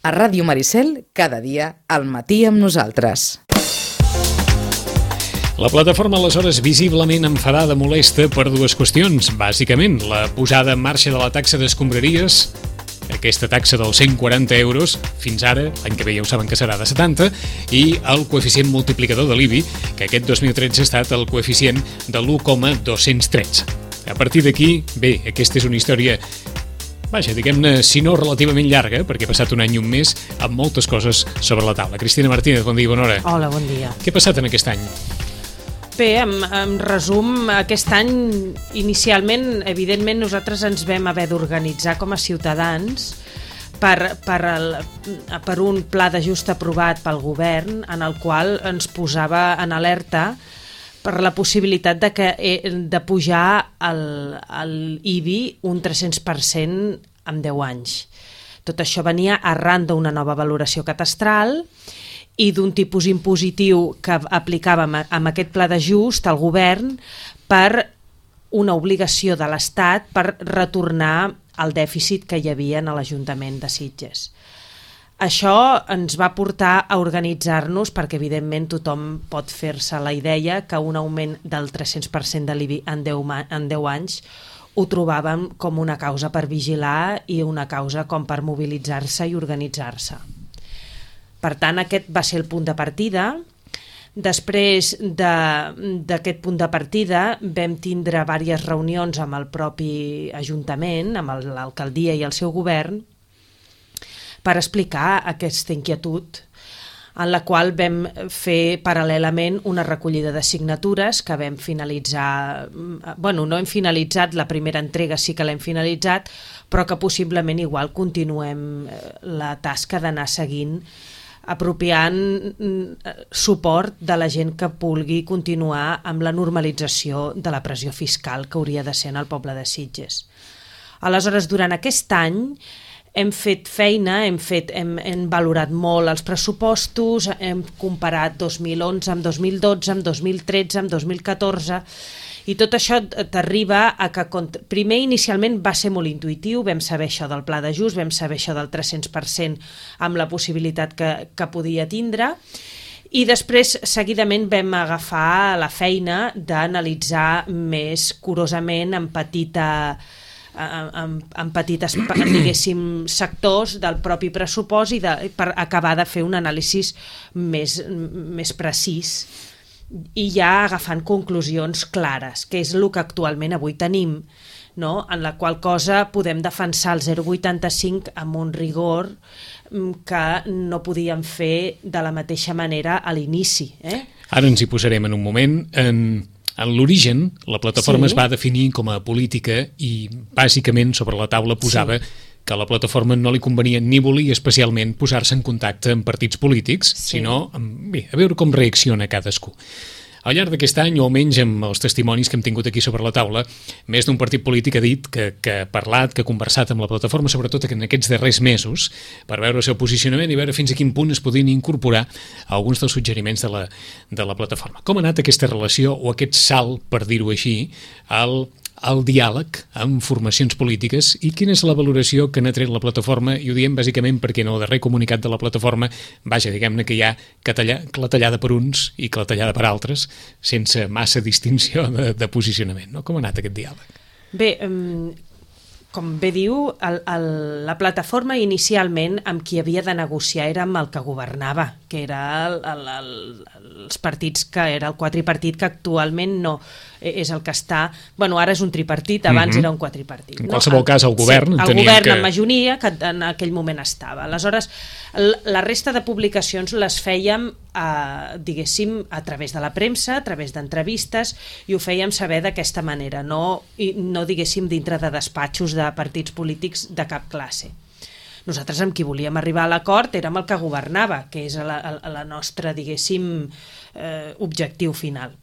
A Ràdio Maricel, cada dia, al matí amb nosaltres. La plataforma, aleshores, visiblement enfadada, molesta per dues qüestions. Bàsicament, la posada en marxa de la taxa d'escombraries, aquesta taxa dels 140 euros, fins ara, l'any que ve ja ho saben que serà de 70, i el coeficient multiplicador de l'IBI, que aquest 2013 ha estat el coeficient de l'1,213. A partir d'aquí, bé, aquesta és una història, vaja, diguem-ne, si no relativament llarga, perquè ha passat un any i un mes, amb moltes coses sobre la taula. Cristina Martínez, bon dia i bona hora. Hola, bon dia. Què ha passat en aquest any? Bé, en resum, aquest any, inicialment, evidentment, nosaltres ens vam haver d'organitzar com a ciutadans per un pla d'ajust aprovat pel govern, en el qual ens posava en alerta per la possibilitat de pujar l'IBI un 300% en 10 anys. Tot això venia arran d'una nova valoració catastral i d'un tipus impositiu que aplicàvem amb aquest pla d'ajust al govern per una obligació de l'Estat per retornar el dèficit que hi havia en l'Ajuntament de Sitges. Això ens va portar a organitzar-nos perquè, evidentment, tothom pot fer-se la idea que un augment del 300% de l'IBI en 10 anys ho trobàvem com una causa per vigilar i una causa com per mobilitzar-se i organitzar-se. Per tant, aquest va ser el punt de partida. Després d'aquest punt de partida vam tindre diverses reunions amb el propi Ajuntament, amb l'alcaldia i el seu govern, per explicar aquesta inquietud, en la qual vam fer paral·lelament una recollida de signatures que vam finalitzar, no hem finalitzat, la primera entrega sí que l'hem finalitzat, però que possiblement igual continuem la tasca d'anar seguint, apropiant suport de la gent que vulgui continuar amb la normalització de la pressió fiscal que hauria de ser en el poble de Sitges. Aleshores, durant aquest any hem fet feina, hem valorat molt els pressupostos, hem comparat 2011 amb 2012, amb 2013, amb 2014, i tot això t'arriba a que, primer, inicialment va ser molt intuïtiu, vam saber això del pla d'ajust, vam saber això del 300% amb la possibilitat que podia tindre, i després, seguidament, vam agafar la feina d'analitzar més curosament en petites, diguéssim, sectors del propi pressupost i per acabar de fer un anàlisi més precís i ja agafant conclusions clares, que és el que actualment avui tenim, no? En la qual cosa podem defensar el 0,85 amb un rigor que no podíem fer de la mateixa manera a l'inici. Ara ens hi posarem en un moment. En l'origen, la plataforma es va definir com a política i bàsicament sobre la taula posava que a la plataforma no li convenia ni volia especialment posar-se en contacte amb partits polítics, sinó a veure com reacciona cadascú. Al llarg d'aquest any, o almenys amb els testimonis que hem tingut aquí sobre la taula, més d'un partit polític ha dit que ha parlat, que ha conversat amb la plataforma, sobretot en aquests darrers mesos, per veure el seu posicionament i veure fins a quin punt es podien incorporar alguns dels suggeriments de la plataforma. Com ha anat aquesta relació o aquest salt, per dir-ho així, al diàleg amb formacions polítiques i quina és la valoració que n'ha tret la plataforma, i ho diem bàsicament perquè en el darrer comunicat de la plataforma, vaja, diguem-ne que hi ha clatellada per uns i clatellada per altres, sense massa distinció de posicionament, no? Com ha anat aquest diàleg? Bé, com bé diu, la plataforma inicialment amb qui havia de negociar era amb el que governava, que era els partits, que era el quadripartit, que actualment no és el que està... Ara és un tripartit, abans era un quadripartit. En qualsevol cas, el govern... Sí, el govern en majoria, que en aquell moment estava. Aleshores, la resta de publicacions les fèiem, diguéssim, a través de la premsa, a través d'entrevistes, i ho fèiem saber d'aquesta manera, no diguéssim, dintre de despatxos de partits polítics de cap classe. Nosaltres amb qui volíem arribar a l'acord érem el que governava, que és la nostra, diguéssim, objectiu final.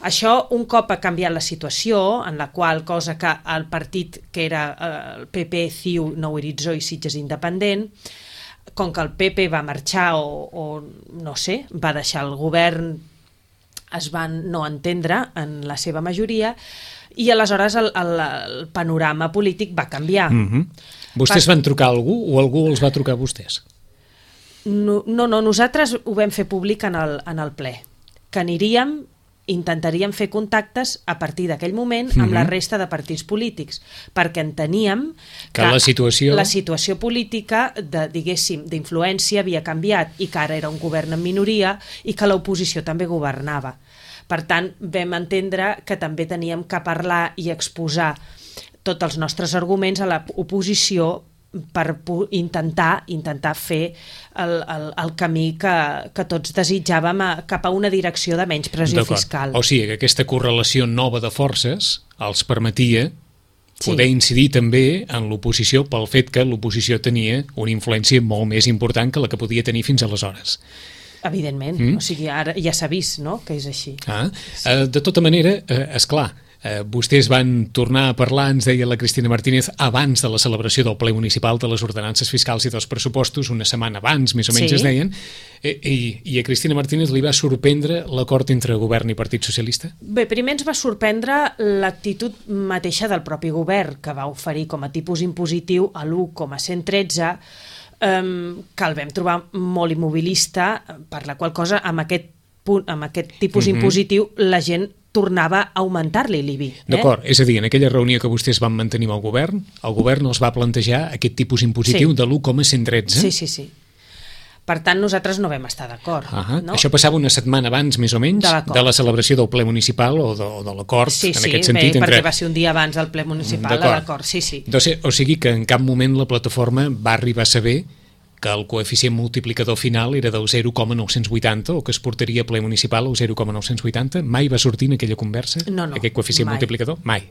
Això, un cop ha canviat la situació, en la qual cosa que el partit que era el PP, CiU, Nou Horitzó i Sitges Independent, com que el PP va marxar o no sé, va deixar el govern, es van no entendre en la seva majoria, i aleshores el panorama polític va canviar. Vostès van trucar a algú o algú els va trucar a vostès? No, nosaltres ho vam fer públic en el ple, que intentaríem fer contactes a partir d'aquell moment amb la resta de partits polítics, perquè enteníem que la situació política d'influència havia canviat i que ara era un govern en minoria i que l'oposició també governava. Per tant, vam entendre que també teníem que parlar i exposar tots els nostres arguments a l'oposició per intentar fer el camí que tots desitjàvem cap a una direcció de menys pressió fiscal. O sigui que aquesta correlació nova de forces els permetia poder incidir també en l'oposició pel fet que l'oposició tenia una influència molt més important que la que podia tenir fins aleshores. Evidentment, o sigui, ara ja s'ha vist, no?, que és així. De tota manera, esclar, vostès van tornar a parlar, ens deia la Cristina Martínez, abans de la celebració del ple municipal de les ordenances fiscals i dels pressupostos, una setmana abans, més o menys es deien, i a Cristina Martínez li va sorprendre l'acord entre govern i Partit Socialista? Bé, primer ens va sorprendre l'actitud mateixa del propi govern, que va oferir com a tipus impositiu a l'1,113, que el vam trobar molt immobilista, per la qual cosa amb aquest tipus impositiu la gent tornava a augmentar-li l'IBI. D'acord, és a dir, en aquella reunió que vostès van mantenir amb el govern els va plantejar aquest tipus impositiu de l'1,113? Sí. Per tant, nosaltres no vam estar d'acord. No? Això passava una setmana abans, més o menys, de la celebració del ple municipal o de l'acord, en aquest sentit. Sí, perquè va ser un dia abans del ple municipal, l'acord, sí. O sigui que en cap moment la plataforma va arribar a saber que el coeficient multiplicador final era del 0,980 o que es portaria a ple municipal al 0,980? Mai va sortir en aquella conversa aquest coeficient multiplicador? Mai.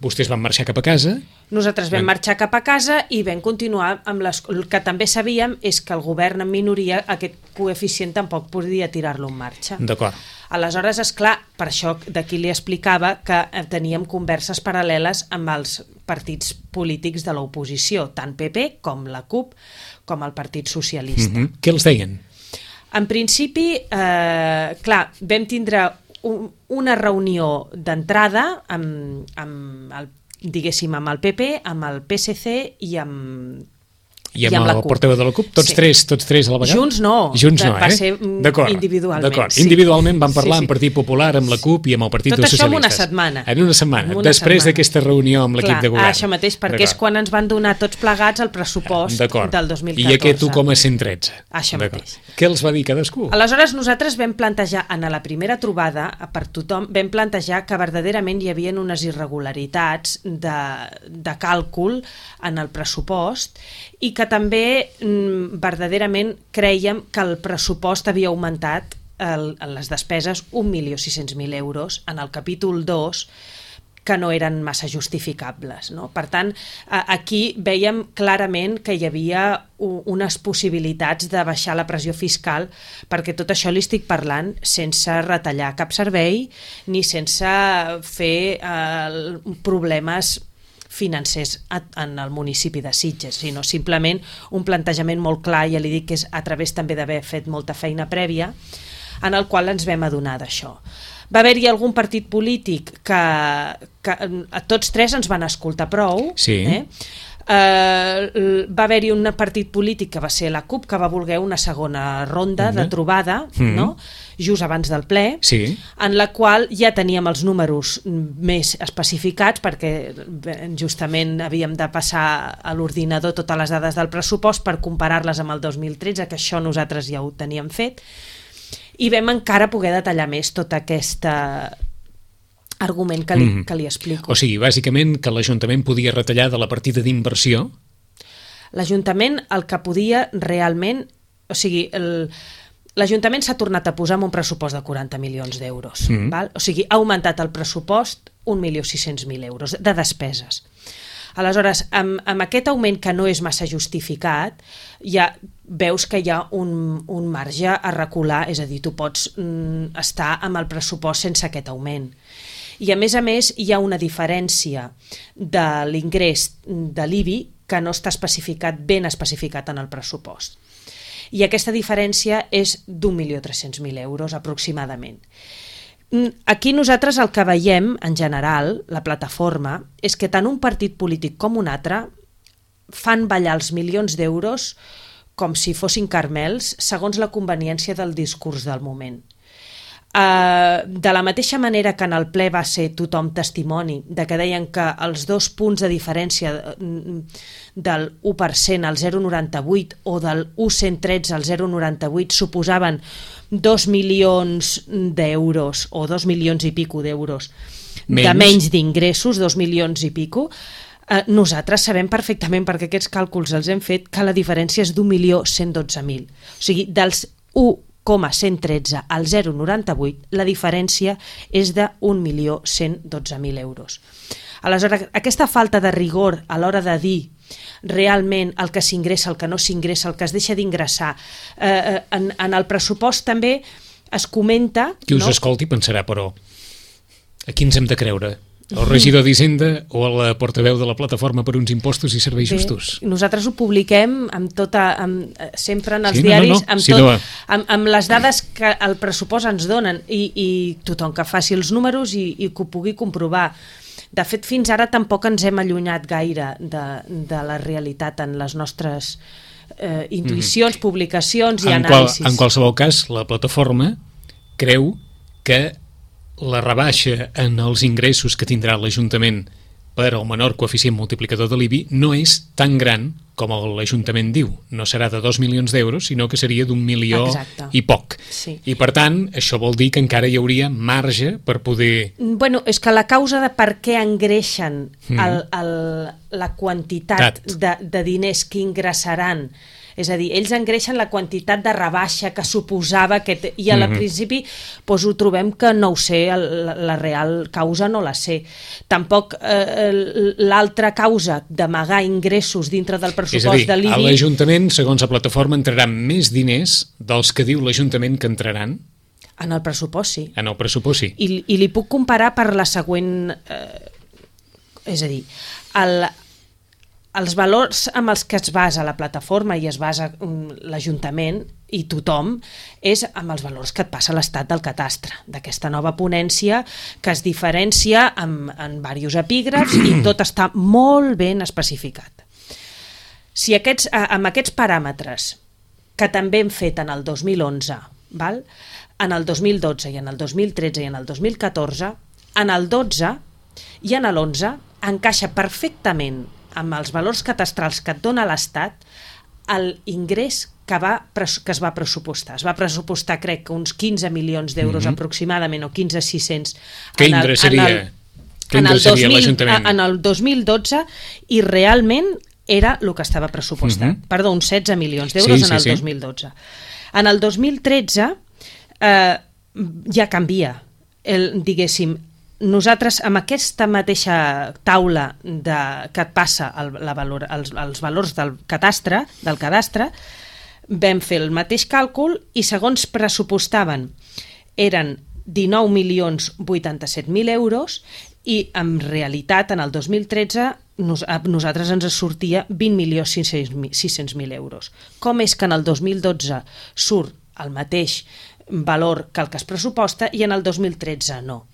Vostès van marxar cap a casa? Nosaltres vam marxar cap a casa i vam continuar amb el que també sabíem és que el govern en minoria aquest coeficient tampoc podia tirar-lo en marxa. D'acord. Aleshores, esclar, per això d'aquí li explicava que teníem converses paral·leles amb els partits polítics de l'oposició, tant PP com la CUP com el Partit Socialista. Què els deien? En principi, clar, vam tindre una reunió d'entrada amb el PP, amb el PSC i amb el portaveu de la CUP? Tots tres a la vegada? Junts no, va ser individualment. D'acord, individualment van parlar amb Partit Popular, amb la CUP i amb el Partit dels Socialistes. Tot això en una setmana. En una setmana, després d'aquesta reunió amb l'equip de govern. Això mateix, perquè és quan ens van donar tots plegats el pressupost del 2014. I aquest 1,113. Això mateix. Què els va dir cadascú? Aleshores nosaltres vam plantejar, en la primera trobada, per tothom, vam plantejar que verdaderament hi havia unes irregularitats de càlcul en el pressupost i que també verdaderament creiem que el pressupost havia augmentat les despeses 1.600.000 euros en el capítol 2 que no eren massa justificables. No? Per tant, aquí veiem clarament que hi havia unes possibilitats de baixar la pressió fiscal, perquè tot això li estic parlant sense retallar cap servei ni sense fer problemes financers en el municipi de Sitges, sinó simplement un plantejament molt clar, ja li dic que és a través també d'haver fet molta feina prèvia, en el qual ens vam adonar d'això. Va haver-hi algun partit polític que a tots tres ens van escoltar prou, va haver-hi un partit polític que va ser la CUP que va voler una segona ronda de trobada, no? Just abans del ple, en la qual ja teníem els números més especificats perquè justament havíem de passar a l'ordinador totes les dades del pressupost per comparar-les amb el 2013, que això nosaltres ja ho teníem fet, i vam encara poder detallar més tot aquest argument que li explico. O sigui, bàsicament que l'Ajuntament podia retallar de la partida d'inversió? L'Ajuntament el que podia realment... O sigui, l'Ajuntament s'ha tornat a posar amb un pressupost de 40 milions d'euros. O sigui, ha augmentat el pressupost 1.600.000 euros de despeses. Aleshores, amb aquest augment que no és massa justificat, ja veus que hi ha un marge a recular, és a dir, tu pots estar amb el pressupost sense aquest augment. I a més, hi ha una diferència de l'ingrés de l'IBI que no està ben especificat en el pressupost. I aquesta diferència és d'1.300.000 euros aproximadament. Aquí nosaltres el que veiem, en general, la plataforma, és que tant un partit polític com un altre fan ballar els milions d'euros com si fossin caramels segons la conveniència del discurs del moment. De la mateixa manera que en el ple va ser tothom testimoni de que deien que els 2 punts de diferència del 1% al 0,98 o del 1,113 al 0,98 suposaven 2 milions d'euros o 2 milions i pico d'euros de menys d'ingressos, 2 milions i pico. Nosaltres sabem perfectament, perquè aquests càlculs els hem fet, que la diferència és d'1.112.000. O sigui, dels 1,113 al 0,98, la diferència és de 1.112.000 euros. Aleshores, aquesta falta de rigor a l'hora de dir realment el que s'ingressa, el que no s'ingressa, el que es deixa d'ingressar, en el pressupost també es comenta... Qui us escolti pensarà, però, a qui ens hem de creure? El regidor d'Hisenda o la portaveu de la Plataforma per uns impostos i serveis justos? Nosaltres ho publiquem sempre en els diaris, amb les dades que el pressupost ens donen i tothom que faci els números i que ho pugui comprovar. De fet, fins ara tampoc ens hem allunyat gaire de la realitat en les nostres intuïcions, publicacions i anàlisis. En qualsevol cas, la Plataforma creu que la rebaixa en els ingressos que tindrà l'Ajuntament per al menor coeficient multiplicador de l'IBI no és tan gran com l'Ajuntament diu. No serà de 2 milions d'euros, sinó que seria d'1 milió i poc. Sí. I per tant, això vol dir que encara hi hauria marge per poder... Bueno, és que la causa de per què engreixen la quantitat de diners que ingressaran, és a dir, ells engreixen la quantitat de rebaixa que suposava i al principi ho trobem que no ho sé, la real causa no la sé. Tampoc l'altra causa d'amagar ingressos dintre del pressupost de l'IBI... És a dir, a l'Ajuntament, segons la Plataforma, entraran més diners dels que diu l'Ajuntament que entraran? En el pressupost, sí. En el pressupost, sí. I li puc comparar per la següent... És a dir, els valors amb els que es basa la Plataforma i es basa l'Ajuntament i tothom és amb els valors que et passa l'Estat del Catastre, d'aquesta nova ponència que es diferencia en diversos epígrafs i tot està molt ben especificat. Si amb aquests paràmetres que també hem fet en el 2011, en el 2012 i en el 2013 i en el 2014, en el 12 i en l'11 encaixa perfectament amb els valors catastrals que et dona l'Estat l'ingrés que es va pressupostar. Es va pressupostar, crec, que uns 15 milions d'euros aproximadament, o 15.600. Què ingressaria l'Ajuntament? En el 2012, i realment era el que estava pressupostat. Perdó, uns 16 milions d'euros en el 2012. En el 2013 ja canvia, diguéssim. Nosaltres, amb aquesta mateixa taula que et passa els valors del cadastre, vam fer el mateix càlcul i segons pressupostaven eren 19.087.000 euros i en realitat en el 2013 a nosaltres ens sortia 20.600.000 euros. Com és que en el 2012 surt el mateix valor que el que es pressuposta i en el 2013 no?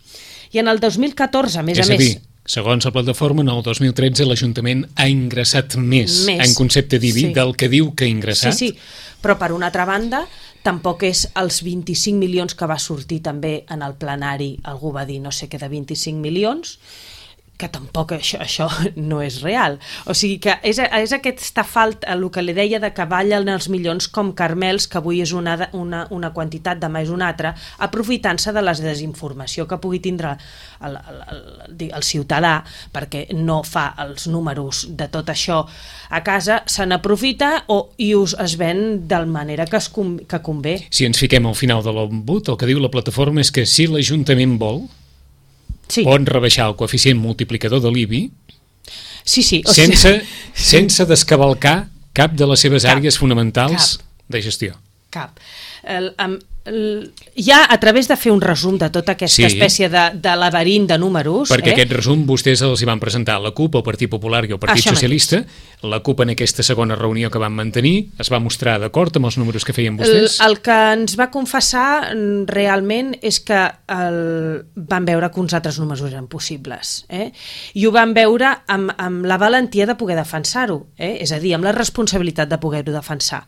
I en el 2014, a més a més... És a dir, segons la Plataforma, en el 2013 l'Ajuntament ha ingressat més en concepte d'IBI del que diu que ha ingressat. Sí, però per una altra banda, tampoc és els 25 milions que va sortir també en el plenari, algú va dir no sé què de 25 milions, que tampoc això no és real. O sigui que és aquesta falta, el que li deia de que ballen els milions com caramels, que avui és una quantitat, demà és una altra, aprofitant-se de la desinformació que pugui tindre el ciutadà, perquè no fa els números de tot això a casa, se n'aprofita i es ven de la manera que convé. Si ens fiquem al final de l'embut, el que diu la Plataforma és que si l'Ajuntament vol, pot rebaixar el coeficient multiplicador de l'IBI sense descavalcar cap de les seves àrees fonamentals de gestió. Cap. ja a través de fer un resum de tota aquesta espècie de laberint de números... Perquè aquest resum vostès els hi van presentar a la CUP, al Partit Popular i al Partit Socialista. La CUP en aquesta segona reunió que van mantenir es va mostrar d'acord amb els números que feien vostès? El que ens va confessar realment és que van veure que uns altres números eren possibles. I ho van veure amb la valentia de poder defensar-ho, és a dir, amb la responsabilitat de poder-ho defensar.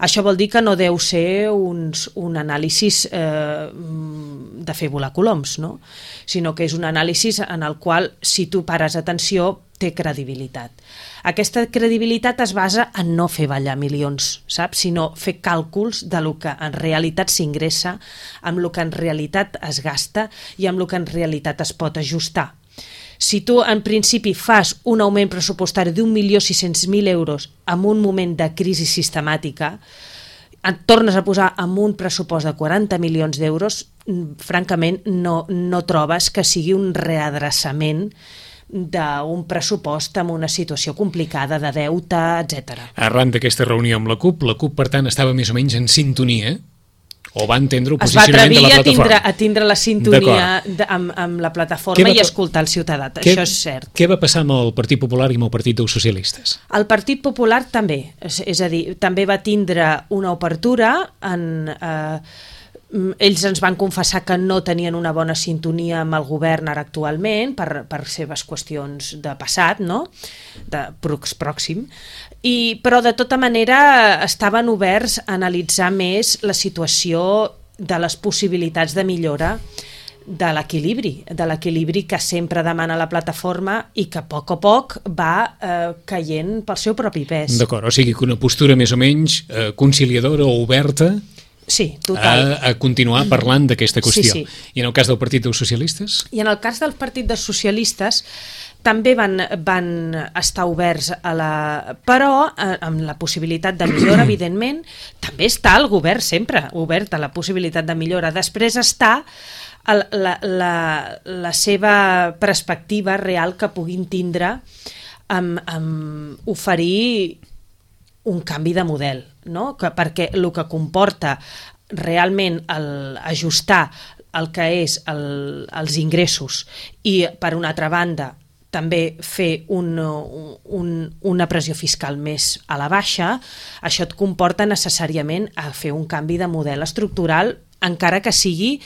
Això vol dir que no deu ser un anàlisi de fer volar coloms, no? Sinó que és un anàlisi en el qual, si tu pares atenció, té credibilitat. Aquesta credibilitat es basa en no fer ballar milions, saps? Sinó fer càlculs de lo que en realitat s'ingressa, amb lo que en realitat es gasta i amb lo que en realitat es pot ajustar. Si tu en principi fas un augment pressupostari d'1.600.000 euros en un moment de crisi sistemàtica, et tornes a posar en un pressupost de 40 milions d'euros, francament no trobes que sigui un readreçament d'un pressupost amb una situació complicada de deute, etc. Arran d'aquesta reunió amb la CUP, per tant estava més o menys en sintonia, o va entendre el es va posicionament de la plataforma. A tindre la sintonia amb la plataforma i escoltar el ciutadà, això és cert. Què va passar amb el Partit Popular i amb el Partit dels Socialistes? El Partit Popular també, és a dir, també va tindre una obertura ells ens van confessar que no tenien una bona sintonia amb el govern ara actualment per seves qüestions de passat, no? De pròxim, però de tota manera estaven oberts a analitzar més la situació de les possibilitats de millora de l'equilibri que sempre demana la plataforma i que a poc va caient pel seu propi pes. D'acord, o sigui que una postura més o menys conciliadora o oberta a continuar parlant d'aquesta qüestió. Sí. I en el cas del Partit dels Socialistes? I en el cas del Partit dels Socialistes també van estar oberts però amb la possibilitat de millora, evidentment, també està el govern sempre obert a la possibilitat de millora. Després està la seva perspectiva real que puguin tindre amb oferir un canvi de model, no? Perquè el que comporta realment ajustar el que és els ingressos i, per una altra banda, també fer una pressió fiscal més a la baixa, això et comporta necessàriament a fer un canvi de model estructural, encara que sigui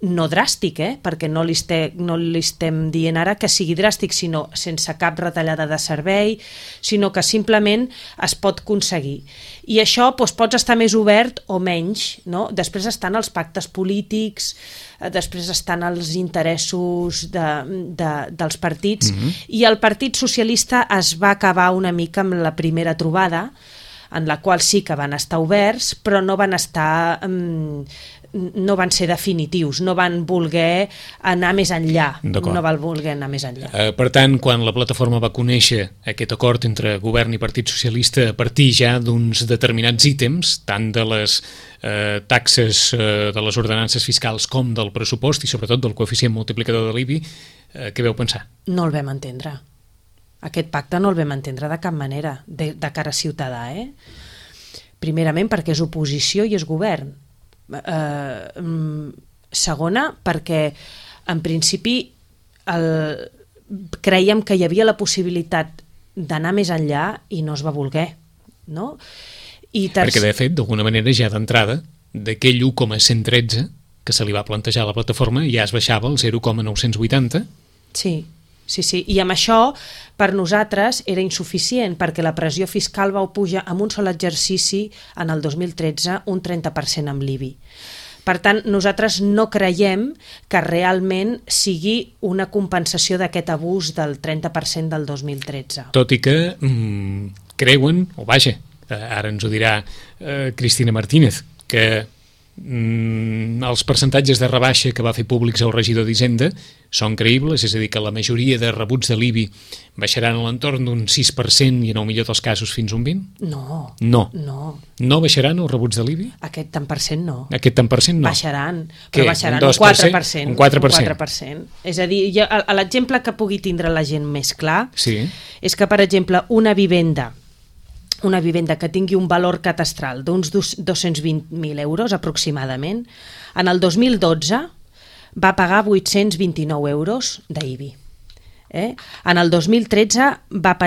no dràstic, perquè no li estem dient ara que sigui dràstic, sinó sense cap retallada de servei, sinó que simplement es pot aconseguir. I això pots estar més obert o menys, no? Després estan els pactes polítics, després estan els interessos dels partits, i el Partit Socialista es va acabar una mica amb la primera trobada, en la qual sí que van estar oberts, però no van ser definitius, no van voler anar més enllà. Per tant, quan la plataforma va conèixer aquest acord entre govern i Partit Socialista a partir ja d'uns determinats ítems, tant de les taxes de les ordenances fiscals com del pressupost i sobretot del coeficient multiplicador de l'IBI, què veu pensar? No el vam entendre. Aquest pacte no el vam entendre de cap manera, de cara a Ciutadà. Primerament perquè és oposició i és govern. Segona, perquè en principi creiem que hi havia la possibilitat d'anar més enllà i no es va voler, no? Perquè de fet, d'alguna manera, ja d'entrada, d'aquell 1,113 que se li va plantejar a la plataforma ja es baixava al 0,980. Sí, i amb això per nosaltres era insuficient perquè la pressió fiscal va pujar en un sol exercici en el 2013 un 30% amb l'IBI. Per tant, nosaltres no creiem que realment sigui una compensació d'aquest abús del 30% del 2013. Tot i que creuen, o vaja, ara ens ho dirà Cristina Martínez, que els percentatges de rebaixa que va fer públics el regidor d'Hisenda són creïbles, és a dir, que la majoria de rebuts de l'IBI baixaran a l'entorn d'un 6% i en el millor dels casos fins un 20%? No baixaran els rebuts de l'IBI? Aquest tant per cent no. Baixaran, però baixaran un 4%. És a dir, l'exemple que pugui tindre la gent més clar és que, per exemple, una vivenda una vivenda que tingui un valor catastral d'uns 220.000 euros aproximadament, en el 2012 va pagar 829 euros d'IBI. En el 2013 va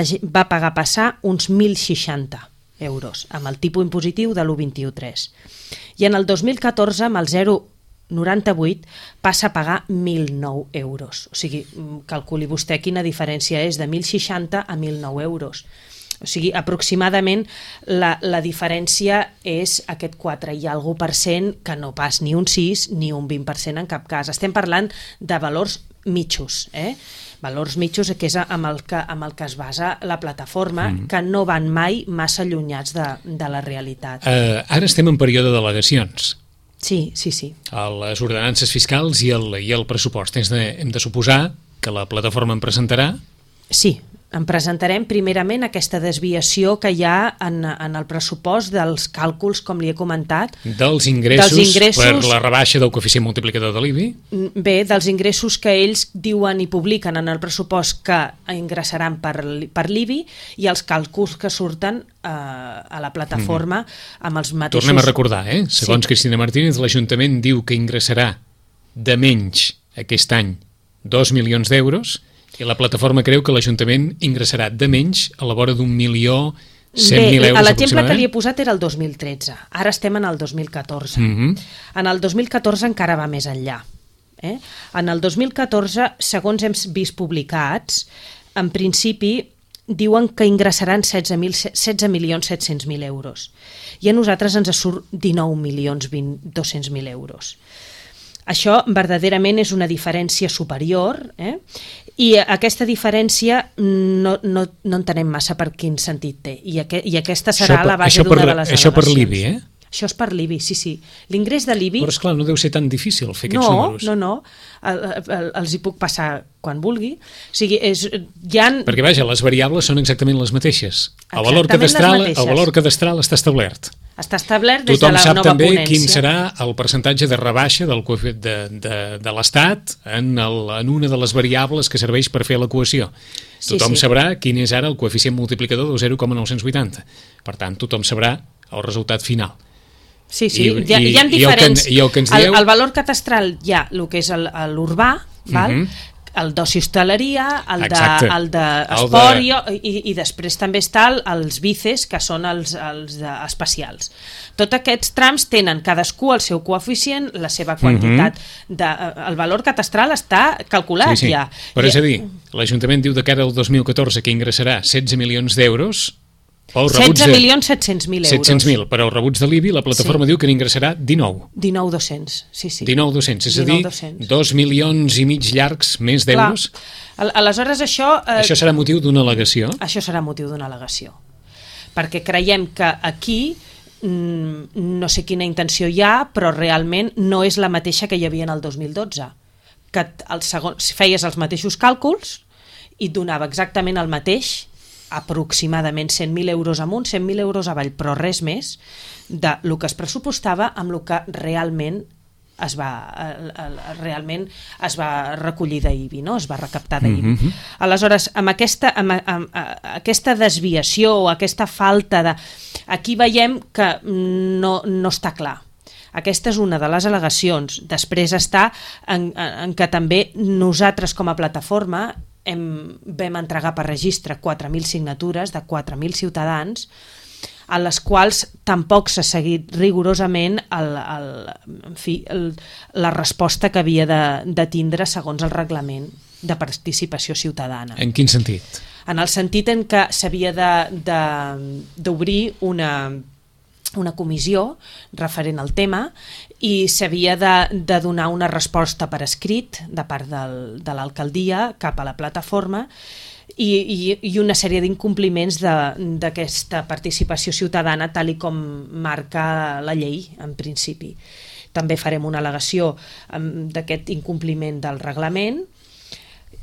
passar uns 1.060 euros, amb el tipus impositiu de l'1,21,3. I en el 2014, amb el 0,98, passa a pagar 1.009 euros. O sigui, calculi vostè quina diferència és de 1.060 a 1.009 euros. O sigui, aproximadament la diferència és aquest 4 i alguna %, que no pas ni un 6 ni un 20% en cap cas. Estem parlant de valors mitjos, valors mitjos, que és amb el que es basa la plataforma, que no van mai massa allunyats de la realitat. Ara estem en període d'al·legacions. Sí. A les ordenances fiscals i el pressupost. Hem de suposar que la plataforma en presentarà. Sí, en presentarem primerament aquesta desviació que hi ha en el pressupost dels càlculs, com li he comentat. Dels ingressos per la rebaixa del coeficient multiplicador de l'IBI? Bé, dels ingressos que ells diuen i publiquen en el pressupost que ingressaran per l'IBI i els càlculs que surten a la plataforma amb els mateixos... Tornem a recordar, segons Cristina Martínez, l'Ajuntament diu que ingressarà de menys aquest any 2 milions d'euros i la plataforma creu que l'Ajuntament ingressarà de menys a la vora d'1.100.000 euros. L'exemple que li he posat era el 2013, ara estem en el 2014. En el 2014 encara va més enllà. En el 2014, segons hem vist publicats, en principi diuen que ingressaran 16.700.000 euros i a nosaltres ens surt 19.200.000 euros. Això verdaderament és una diferència superior, i aquesta diferència no entenem massa per quin sentit té, i aquesta serà la base d'una de les al·legacions. Això per l'IBI, Això és per l'IBI, sí. L'ingrés de l'IBI... Però esclar, no deu ser tan difícil fer aquests números. No, els hi puc passar quan vulgui. O sigui, perquè, vaja, les variables són exactament les mateixes. El valor cadastral està establert. Està establert des de la nova ponència. Tothom sap també quin serà el percentatge de rebaixa de l'Estat en una de les variables que serveix per fer l'equació. Tothom sabrà quin és ara el coeficient multiplicador de 0,980. Per tant, tothom sabrà el resultat final. Sí, hi ha diferents. El valor catastral hi ha el que és l'urbà, el d'oci hostaleria, el d'esport, i després també està els vices, que són els especials. Tots aquests trams tenen cadascú el seu coeficient, la seva quantitat. El valor catastral està calculat ja. Però és a dir, l'Ajuntament diu de cara al 2014 que ingressarà 16 milions d'euros, 16.700.000 euros. 700.000, però els rebuts de l'IBI, la plataforma diu que n'ingressarà 19. 19.200, sí. 19.200, és a dir, 2 milions i mig llargs més d'euros. Aleshores, això... Això serà motiu d'una al·legació? Això serà motiu d'una al·legació. Perquè creiem que aquí, no sé quina intenció hi ha, però realment no és la mateixa que hi havia en el 2012. Que feies els mateixos càlculs i donava exactament el mateix, aproximadament 100.000 euros amunt, 100.000 euros avall, però res més del que es pressupostava amb el que realment es va recollir d'IBI, no? Es va recaptar d'IBI. Aleshores, amb aquesta desviació o aquesta falta de... Aquí veiem que no està clar. Aquesta és una de les al·legacions. Després està en que també nosaltres com a plataforma vam entregar per registre 4.000 signatures de 4.000 ciutadans a les quals tampoc s'ha seguit rigorosament la resposta que havia de tindre segons el reglament de participació ciutadana. En quin sentit? En el sentit en què s'havia d'obrir una comissió referent al tema i s'havia de donar una resposta per escrit de part de l'alcaldia cap a la plataforma i una sèrie d'incompliments d'aquesta participació ciutadana tal i com marca la llei en principi. També farem una al·legació d'aquest incompliment del reglament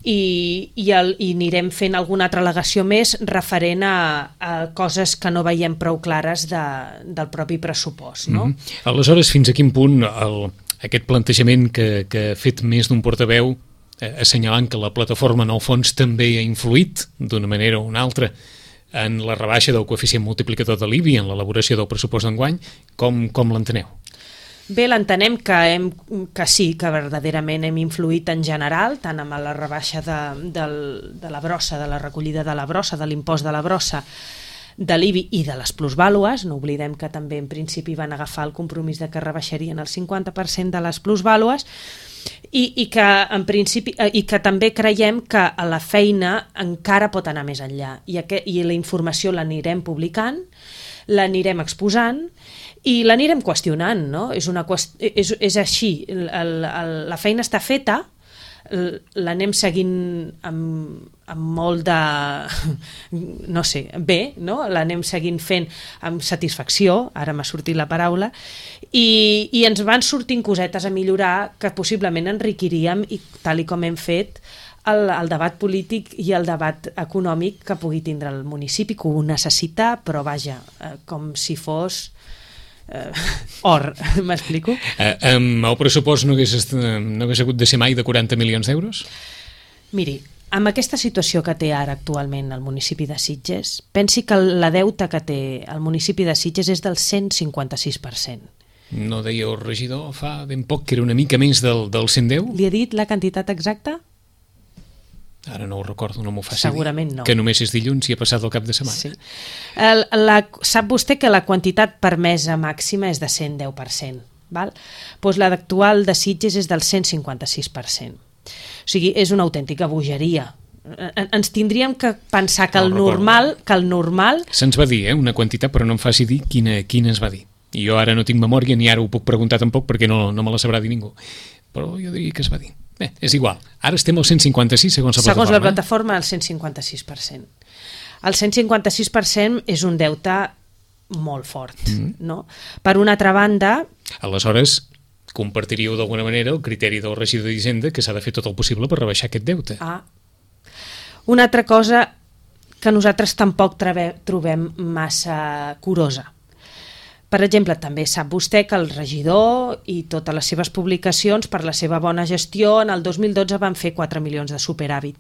i anirem fent alguna altra al·legació més referent a coses que no veiem prou clares del propi pressupost. No? Aleshores, fins a quin punt aquest plantejament que ha fet més d'un portaveu assenyalant que la plataforma en el fons també ha influït d'una manera o una altra en la rebaixa del coeficient multiplicador de l'IBI en l'elaboració del pressupost d'enguany, com l'enteneu? Bé, l'entenem que sí, que verdaderament hem influït en general, tant amb la rebaixa de la brossa, de la recollida de la brossa, de l'impost de la brossa, de l'IBI i de les plusvàlues. No oblidem que també en principi van agafar el compromís de que rebaixarien el 50% de les plusvàlues i que en principi i que també creiem que la feina encara pot anar més enllà i la informació l'anirem publicant, l'anirem exposant i l'anirem qüestionant, no? És així, la feina està feta, l'anem seguint amb molt de... no sé, bé, no? L'anem seguint fent amb satisfacció, ara m'ha sortit la paraula, i ens van sortint cosetes a millorar que possiblement enriquiríem, i tal i com hem fet, el debat polític i el debat econòmic que pugui tindre el municipi, que ho necessita, però vaja, com si fos... or, m'explico? El pressupost no hagués hagut de ser mai de 40 milions d'euros? Miri, amb aquesta situació que té ara actualment el municipi de Sitges, pensi que la deuta que té el municipi de Sitges és del 156%. No deia el regidor fa ben poc que era una mica més del 110? Li he dit la quantitat exacta? Ara no ho recordo, no m'ho faci Segurament dir. No. Que només és dilluns i ha passat el cap de setmana. Sí. Sap vostè que la quantitat permesa màxima és de 110%, val? Doncs la actual de Sitges és del 156%. O sigui, és una autèntica bogeria. Ens tindríem que pensar que el normal... Se'ns va dir, una quantitat, però no em faci dir quina es va dir. I jo ara no tinc memòria ni ara ho puc preguntar tampoc perquè no me la sabrà dir ningú. Però jo diria que es va dir. Bé, és igual. Ara estem al 156 segons la plataforma. Segons la plataforma, el 156%. El 156% és un deute molt fort, no? Per una altra banda... Aleshores, compartiríeu d'alguna manera el criteri del regidor d'Hisenda que s'ha de fer tot el possible per rebaixar aquest deute. Una altra cosa que nosaltres tampoc trobem massa curosa. Per exemple, també sap vostè que el regidor i totes les seves publicacions per la seva bona gestió en el 2012 van fer 4 milions de superàvit.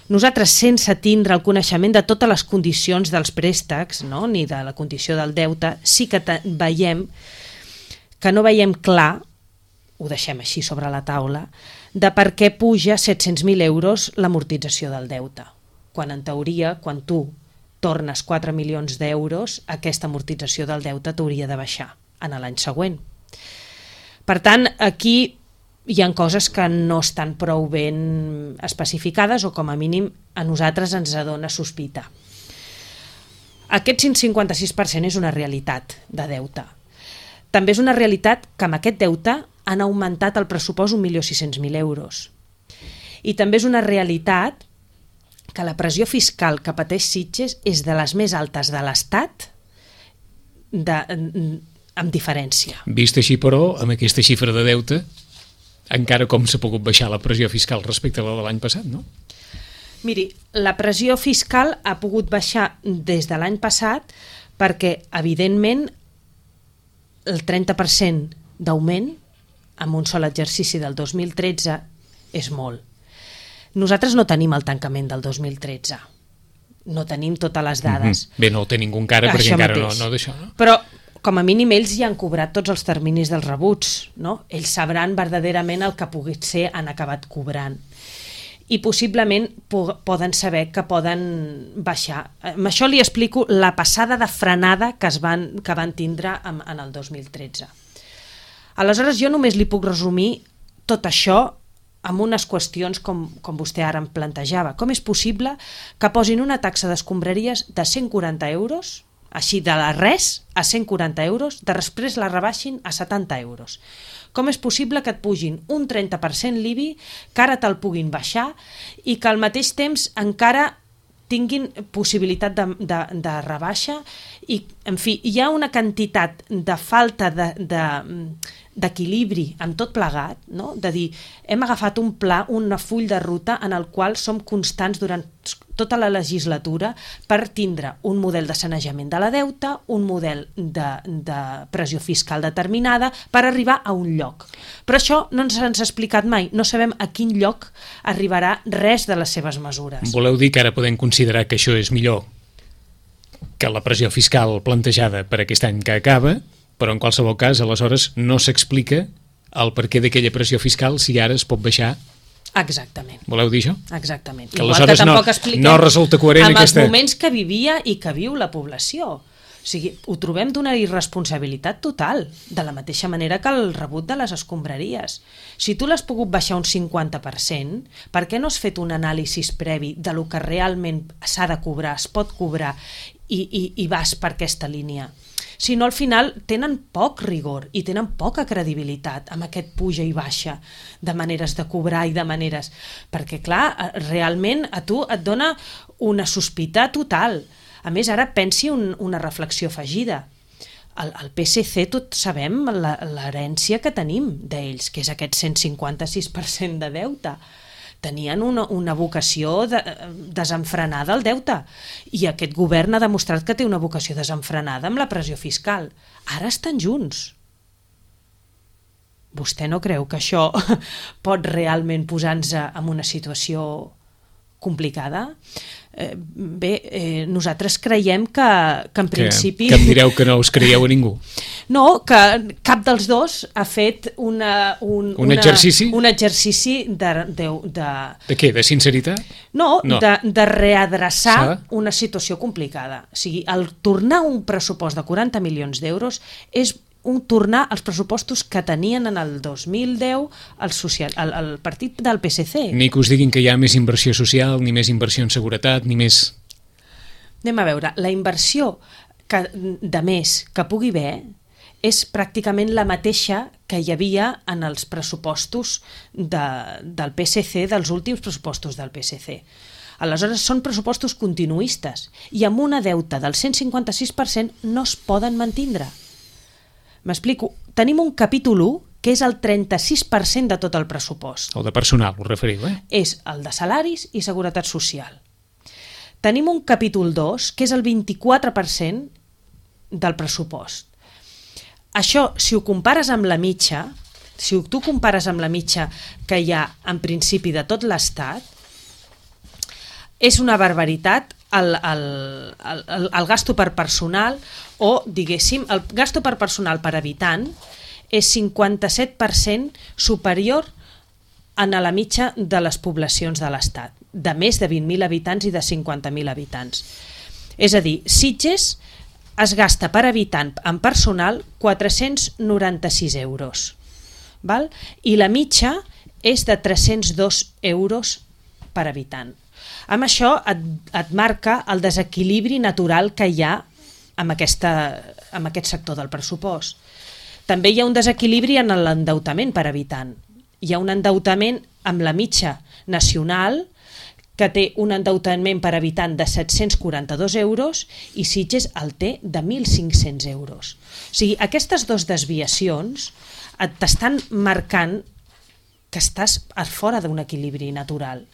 Nosaltres, sense tindre el coneixement de totes les condicions dels préstecs, no? Ni de la condició del deute, sí que veiem que no veiem clar, ho deixem així sobre la taula, de per què puja 700.000 euros l'amortització del deute. Quan en teoria, quan tu tornes 4 milions d'euros, aquesta amortització del deute t'hauria de baixar en l'any següent. Per tant, aquí hi ha coses que no estan prou ben especificades o com a mínim a nosaltres ens dona sospita. Aquest 156% és una realitat de deute. També és una realitat que amb aquest deute han augmentat el pressupost 1.600.000 euros. I també és una realitat que la pressió fiscal que pateix Sitges és de les més altes de l'Estat amb diferència. Vist així, però, amb aquesta xifra de deute, encara com s'ha pogut baixar la pressió fiscal respecte a la de l'any passat, no? Miri, la pressió fiscal ha pogut baixar des de l'any passat perquè, evidentment, el 30% d'augment en un sol exercici del 2013 és molt. Nosaltres no tenim el tancament del 2013. No tenim totes les dades. Bé, no ho té ningú encara perquè encara no d'això, no? Però, com a mínim, ells ja han cobrat tots els terminis dels rebuts, no? Ells sabran verdaderament el que pugui ser han acabat cobrant. I possiblement poden saber que poden baixar. Amb això li explico la passada de frenada que van tindre en el 2013. Aleshores, jo només li puc resumir tot això amb unes qüestions com vostè ara em plantejava. Com és possible que posin una taxa d'escombraries de 140 euros, així de la res a 140 euros, després la rebaixin a 70 euros? Com és possible que et pugin un 30% l'IBI, que ara te'l puguin baixar i que al mateix temps encara tinguin possibilitat de rebaixa i, en fi, hi ha una quantitat de falta d'equilibri en tot plegat, no? De dir, hem agafat un pla, un full de ruta en el qual som constants durant tota la legislatura per tindre un model de sanejament de la deuta, un model de pressió fiscal determinada per arribar a un lloc. Però això no ens ha explicat mai, no sabem a quin lloc arribarà res de les seves mesures. Voleu dir que ara podem considerar que això és millor que la pressió fiscal plantejada per aquest any que acaba, però en qualsevol cas, aleshores, no s'explica el perquè d'aquella pressió fiscal si ara es pot baixar. Exactament. Voleu dir això? Exactament. Que aleshores no resulta coherent amb aquesta... els moments que vivia i que viu la població. O sigui, ho trobem d'una irresponsabilitat total, de la mateixa manera que el rebut de les escombraries. Si tu l'has pogut baixar un 50%, per què no has fet un anàlisi previ de lo que realment s'ha de cobrar, es pot cobrar, i vas per aquesta línia? Si no, al final tenen poc rigor i tenen poca credibilitat amb aquest puja i baixa de maneres de cobrar i de maneres... Perquè, clar, realment a tu et dona una sospita total. A més, ara pensi una reflexió afegida. El PSC, tots sabem l'herència que tenim d'ells, que és aquest 156% de deute. Tenien una vocació desenfrenada al deute, i aquest govern ha demostrat que té una vocació desenfrenada amb la pressió fiscal. Ara estan junts. Vostè no creu que això pot realment posar-nos en una situació complicada? Bé, nosaltres creiem que en principi... Que em direu que no us creieu a ningú. No, que cap dels dos ha fet un exercici? Un exercici de què? De sinceritat? No. De readreçar una situació complicada. O sigui, el tornar un pressupost de 40 milions d'euros és tornar als pressupostos que tenien en el 2010 el partit del PSC. Ni que us diguin que hi ha més inversió social, ni més inversió en seguretat, ni més... Anem a veure, la inversió de més que pugui haver és pràcticament la mateixa que hi havia en els pressupostos del PSC, dels últims pressupostos del PSC. Aleshores, són pressupostos continuistes i amb una deute del 156% no es poden mantindre. M'explico. Tenim un capítol 1 que és el 36% de tot el pressupost. El de personal, us referiu, eh? És el de salaris i seguretat social. Tenim un capítol 2 que és el 24% del pressupost. Això, si ho compares amb la mitja, si tu compares amb la mitja que hi ha en principi de tot l'Estat, és una barbaritat el gasto per personal, o, diguéssim, el gasto per personal per habitant és 57% superior a la mitja de les poblacions de l'Estat, de més de 20.000 habitants i de 50.000 habitants. És a dir, Sitges es gasta per habitant en personal 496 euros, val? I la mitja és de 302 euros per habitant. Amb això et marca el desequilibri natural que hi ha amb aquest sector del pressupost. També hi ha un desequilibri en l'endeutament per habitant. Hi ha un endeutament amb la mitja nacional, que té un endeutament per habitant de 742 euros i Sitges el té de 1.500 euros. O sigui, aquestes dues desviacions t'estan marcant que estàs fora d'un equilibri natural.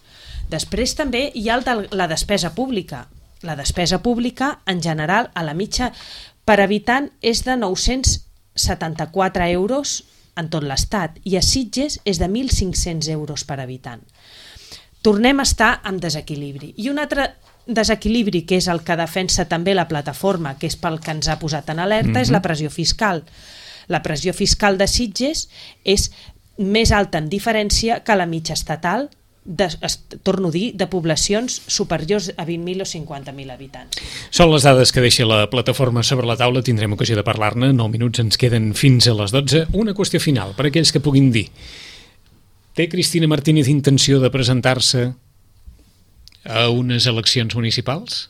Després també hi ha la despesa pública. La despesa pública, en general, a la mitja per habitant és de 974 euros en tot l'Estat i a Sitges és de 1.500 euros per habitant. Tornem a estar en desequilibri. I un altre desequilibri, que és el que defensa també la plataforma, que és pel que ens ha posat en alerta, és la pressió fiscal. La pressió fiscal de Sitges és més alta en diferència que la mitja estatal, torno a dir, de poblacions superiors a 20.000 o 50.000 habitants. Són les dades que deixa la plataforma sobre la taula, tindrem ocasió de parlar-ne, 9 minuts ens queden fins a les 12. Una qüestió final, per aquells que puguin dir. Té Cristina Martínez intenció de presentar-se a unes eleccions municipals?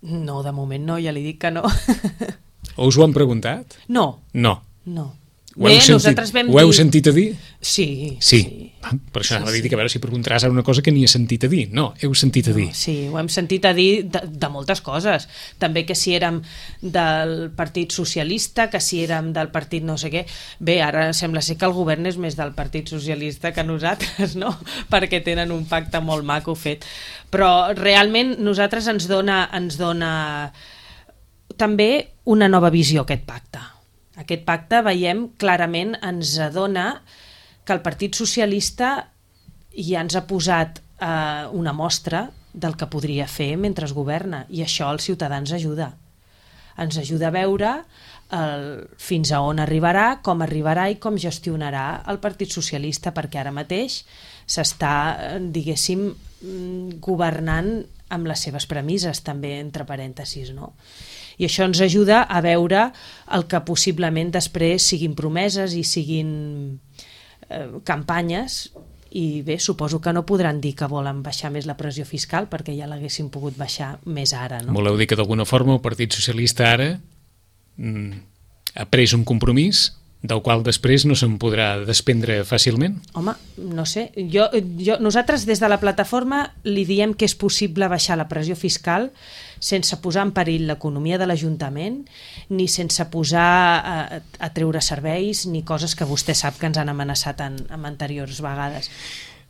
No, de moment no, ja li dic que no. O us ho han preguntat? No. No. No. Ho heu sentit a dir? Sí. Per això anava a dir que a veure si preguntaràs una cosa que ni he sentit a dir. No, heu sentit a dir. Sí, ho hem sentit a dir de moltes coses. També que si érem del Partit Socialista, que si érem del partit no sé què. Bé, ara sembla ser que el govern és més del Partit Socialista que nosaltres, no? Perquè tenen un pacte molt maco fet. Però realment nosaltres ens dona també una nova visió aquest pacte. Aquest pacte, veiem, clarament ens adona que el Partit Socialista ja ens ha posat una mostra del que podria fer mentre es governa, i això als ciutadans ajuda. ens ajuda a veure fins a on arribarà, com arribarà i com gestionarà el Partit Socialista, perquè ara mateix s'està, diguéssim, governant amb les seves premisses, també, entre parèntesis, no? I això ens ajuda a veure el que possiblement després siguin promeses i siguin campanyes. I bé, suposo que no podran dir que volen baixar més la pressió fiscal, perquè ja l'haguessin pogut baixar més ara, no? Voleu dir que d'alguna forma el Partit Socialista ara ha pres un compromís del qual després no se'n podrà desprendre fàcilment? Home, no sé. Nosaltres des de la plataforma li diem que és possible baixar la pressió fiscal sense posar en perill l'economia de l'Ajuntament, ni sense posar a treure serveis, ni coses que vostè sap que ens han amenaçat en anteriors vegades.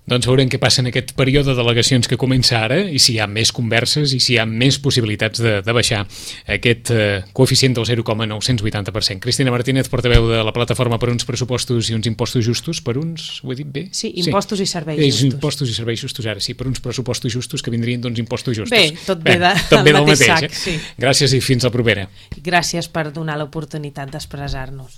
Doncs veurem què passa en aquest període de delegacions que comença ara i si hi ha més converses i si hi ha més possibilitats de baixar aquest coeficient del 0,980%. Cristina Martínez, portaveu de la Plataforma per uns pressupostos i uns impostos justos, per uns, ho he dit bé? Sí, impostos i serveis justos. Impostos i serveis justos, ara sí, per uns pressupostos justos que vindrien d'uns impostos justos. Bé, tot ve del mateix sac. Sí. Gràcies i fins la propera. Gràcies per donar l'oportunitat d'expressar-nos.